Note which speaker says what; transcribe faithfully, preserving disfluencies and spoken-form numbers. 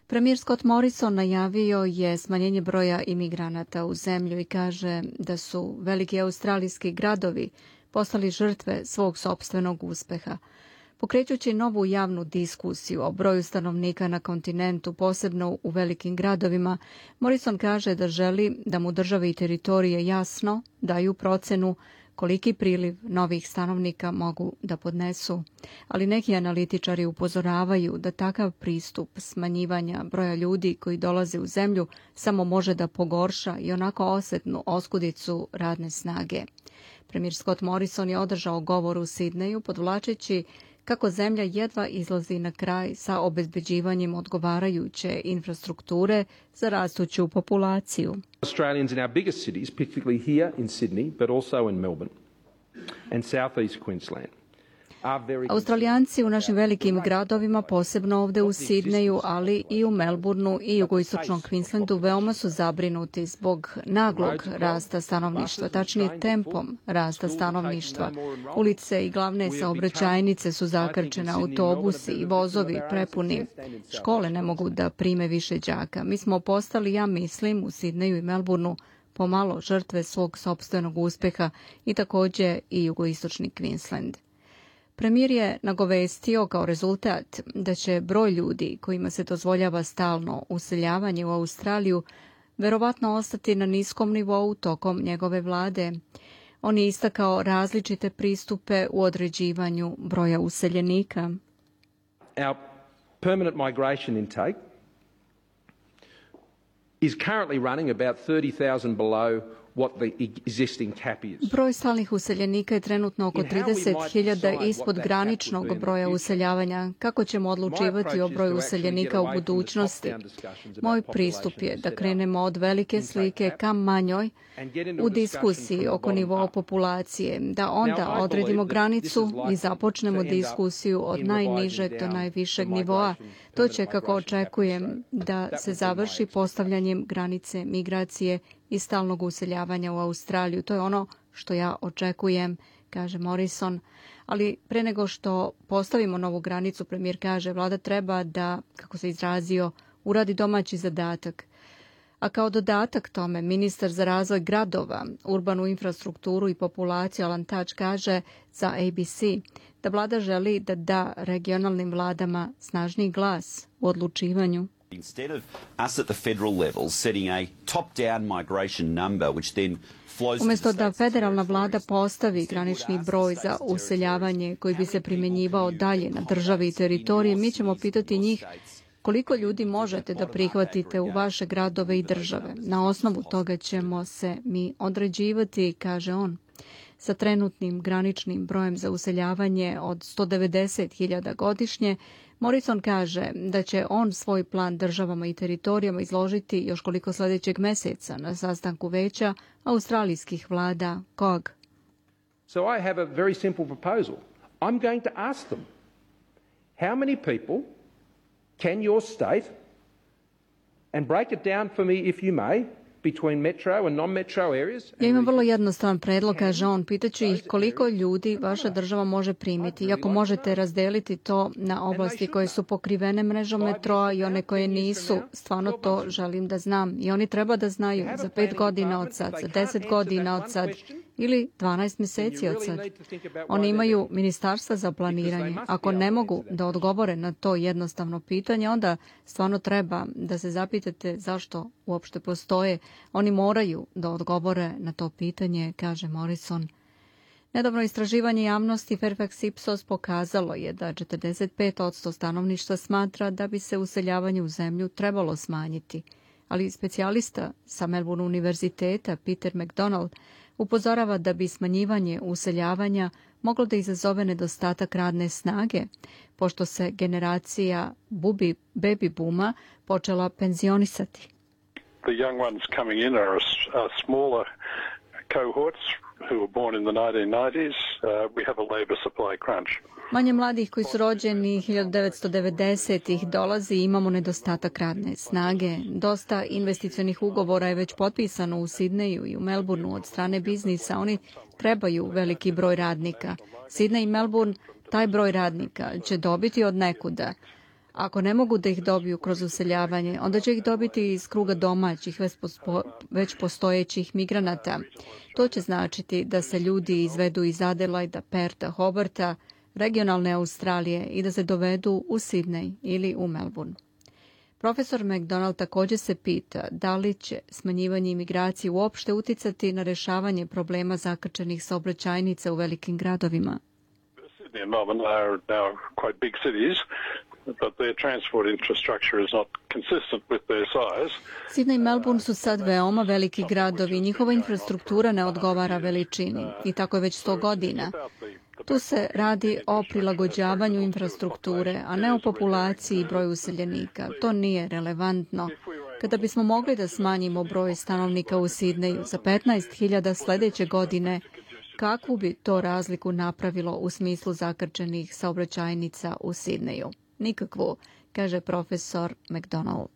Speaker 1: Premijer Scott Morrison najavio je smanjenje broja imigranata u zemlju i kaže da su veliki australijski gradovi postali žrtve svog sopstvenog uspeha. Pokrećući novu javnu diskusiju o broju stanovnika na kontinentu, posebno u velikim gradovima, Morrison kaže da želi da mu države i teritorije jasno daju procenu koliki priliv novih stanovnika mogu da podnesu. Ali neki analitičari upozoravaju da takav pristup smanjivanja broja ljudi koji dolaze u zemlju samo može da pogorša i onako osetnu oskudicu radne snage. Premijer Scott Morrison je održao govor u Sidneju podvlačeći kako zemlja jedva izlazi na kraj sa obezbeđivanjem odgovarajuće infrastrukture za rastuću populaciju.
Speaker 2: Australians in our biggest cities, particularly here in Sydney, but also in Melbourne and southeast Queensland.
Speaker 1: Australijanci u našim velikim gradovima, posebno ovde u Sidneju, ali i u Melbourneu i jugoistočnom Queenslandu, veoma su zabrinuti zbog naglog rasta stanovništva, tačnije tempom rasta stanovništva. Ulice i glavne saobraćajnice su zakrčene, autobusi i vozovi prepuni. Škole ne mogu da prime više đaka. Mi smo postali, ja mislim, u Sidneju i Melbourneu pomalo žrtve svog sopstvenog uspeha i takođe i jugoistočni Queensland. Premijer je nagovestio kao rezultat da će broj ljudi kojima se dozvoljava stalno useljavanje u Australiju verovatno ostati na niskom nivou tokom njegove vlade. On je istakao različite pristupe u određivanju broja useljenika.
Speaker 2: Our permanent migration intake is currently running about thirty thousand below what the existing cap is.
Speaker 1: Broj stalnih useljenika je trenutno oko trideset hiljada ispod graničnog broja useljavanja. Kako ćemo odlučivati o broju useljenika u budućnosti? Moj pristup je da krenemo od velike slike ka manjoj u diskusiji oko nivoa populacije, da onda odredimo granicu i započnemo diskusiju od najnižeg do najvišeg nivoa. To će, kako očekujem, da se završi postavljanjem granice migracije i stalnog useljavanja u Australiju. To je ono što ja očekujem, kaže Morrison. Ali pre nego što postavimo novu granicu, premijer kaže, vlada treba da, kako se izrazio, uradi domaći zadatak. A kao dodatak tome, ministar za razvoj gradova, urbanu infrastrukturu i populaciju Alan Tudge kaže za A B C da vlada želi da da regionalnim vladama snažniji glas u odlučivanju.
Speaker 3: Instead of us at the federal level setting a top-down migration number which then flows.
Speaker 1: Umjesto da federalna vlada postavi granični broj za useljavanje koji bi se primjenjivao dalje na države i teritorije, mi ćemo pitati njih koliko ljudi možete da prihvatite u vaše gradove i države. Na osnovu toga ćemo se mi određivati, kaže on. Sa trenutnim graničnim brojem za useljavanje od sto devedeset hiljada godišnje, Morrison kaže da će on svoj plan državama i teritorijama izložiti još koliko sljedećeg meseca na sastanku veća australijskih vlada C O G.
Speaker 2: So I have a very simple proposal. I'm going to ask them, how many people can your state, and break it down for me if you may, between metro and non-metro areas.
Speaker 1: Ja imam vrlo jednostavan predlog, kaže on. Pitaću ih koliko ljudi vaša država može primiti. I ako možete razdeliti to na oblasti koje su pokrivene mrežom metroa i one koje nisu, stvarno to želim da znam. I oni treba da znaju za pet godina od sad, za deset godina od sad ili dvanaest mjeseci od sad. Oni imaju ministarstva za planiranje. Ako ne mogu da odgovore na to jednostavno pitanje, onda stvarno treba da se zapitate zašto uopšte postoje. Oni moraju da odgovore na to pitanje, kaže Morrison. Nedavno istraživanje javnosti Fairfax Ipsos pokazalo je da četrdeset pet posto stanovništva smatra da bi se useljavanje u zemlju trebalo smanjiti. Ali specijalista sa Melbourne univerziteta Peter McDonald upozorava da bi smanjivanje useljavanja moglo da izazove nedostatak radne snage, pošto se generacija bubi, baby booma počela penzionisati.
Speaker 4: The young ones coming in are, are smaller cohorts who were born in the nineteen nineties. Uh, we have a labor supply crunch.
Speaker 1: Manje mladih koji su rođeni hiljadu devetsto devedesetih dolazi i imamo nedostatak radne snage. Dosta investicionih ugovora je već potpisano u Sidneju i u Melbourneu od strane biznisa. Oni trebaju veliki broj radnika. Sidney i Melbourne taj broj radnika će dobiti od nekuda. Ako ne mogu da ih dobiju kroz useljavanje, onda će ih dobiti iz kruga domaćih, već postojećih migranata. To će značiti da se ljudi izvedu iz Adelaida, Perta, Hobarta, regionalne Australije i da se dovedu u Sidney ili u Melbourne. Profesor McDonald također se pita da li će smanjivanje imigracije uopšte uticati na rješavanje problema zakrčenih saobraćajnica u velikim gradovima.
Speaker 4: Sydney and Melbourne are now quite big cities, but their transport infrastructure is not consistent with their size.
Speaker 1: Sydney i Melbourne su sad veoma veliki gradovi, njihova infrastruktura ne odgovara veličini i tako je već sto godina. Tu se radi o prilagođavanju infrastrukture, a ne o populaciji i broju useljenika. To nije relevantno. Kada bismo mogli da smanjimo broj stanovnika u Sidneju za petnaest hiljada sljedeće godine, kakvu bi to razliku napravilo u smislu zakrčenih saobraćajnica u Sidneju? Nikakvu, kaže profesor McDonald.